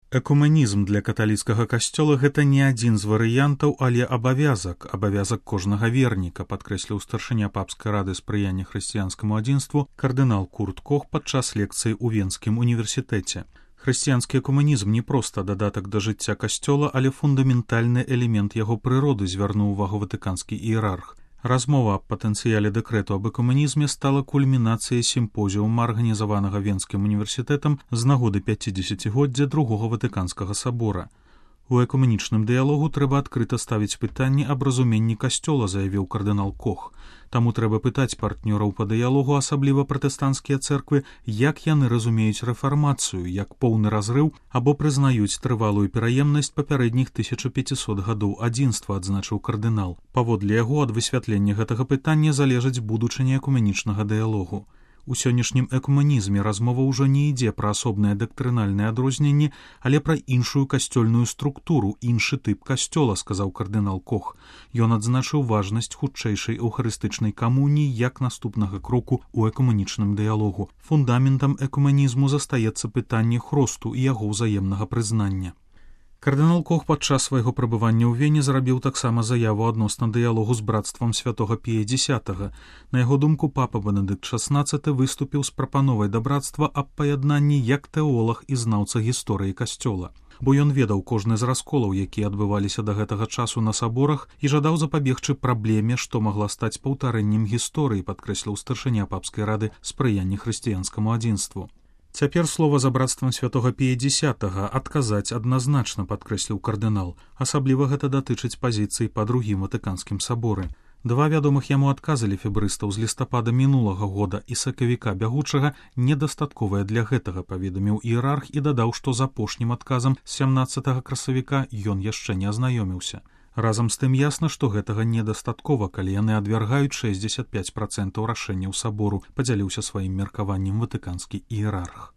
Экуменізм для каталіцкага касцёла гэта не адзін з варыянтаў, але абавязак кожнага верніка, падкрэсліў старшыня папскай рады спрыяння хрысціянскаму адзінству кардынал Курт Кох падчас лекцыі ў Венскім універсітэце. Хрысціянскі экуменізм не проста дадатак да жыцця касцёла, але фундаментальны элемент яго прыроды, звярнуў увагу ватыканскі іерарх. Размова аб патэнцыяле дэкрэту аб экуменізме стала кульмінацыяй сімпозіума, арганізаванага Венскім універсітэтам з нагоды 50-годдзя другога ватыканскага сабора. У экуменічным дыялогу трэба адкрыта ставіць пытанні аб разуменні касцёла, заявіў кардынал Кох. Таму трэба пытаць партнёраў па дыялогу, асабліва пратэстанцкія цэрквы, як яны разумеюць рэфармацыю, як поўны разрыў або прызнаюць трывалую пераемнасць папярэдніх 1500 гадоў адзінства, адзначыў кардынал. Паводле яго, ад высвятлення гэтага пытання залежыць будучыня экуменічнага дыялогу. У сённяшнім экуменізме размова ўжо не ідзе пра асобныя дактрынальныя адрозненні, але пра іншую касцёльную структуру, іншы тып касцёла, сказаў кардынал Кох. Ён адзначыў важнасць хутчэйшай эўхарыстычнай камуніі як наступнага кроку ў экуменічным дыялогу. Фундаментам экуменізму застаецца пытанне хросту і яго ўзаемнага прызнання. Кардынал Кох падчас свайго прабывання ў Вене зрабіў таксама заяву адносна дыялогу з брацтвам святога Пія X. На яго думку, папа Бенедыкт XVI выступіў з прапановай да брацтва аб паяднанні як тэолаг і знаўца гісторыі касцёла. Бо ён ведаў кожны з расколаў, якія адбываліся да гэтага часу на саборах, і жадаў запабегчы праблеме, што магла стаць паўтарэннем гісторыі, падкрэсліў старшыня папскай рады спрыяння хрысціянскаму адзінству. Цяпер слова за брацтвам святога Пія X адказаць адназначна, падкрэсліў кардынал. Асабліва гэта датычыць пазіцыі па другім ватыканскім саборы. Два вядомых яму адказы лефебрыстаў з лістапада мінулага года і сакавіка бягучага недастатковыя для гэтага, паведаміў іерарх і дадаў, што з апошнім адказам з 17 красавіка ён яшчэ не азнаёміўся. Разам з тым ясна, што гэтага недастаткова, калі яны адвяргаюць 65% рашэнняў сабору, падзяліўся сваім меркаваннем ватыканскі іерарх.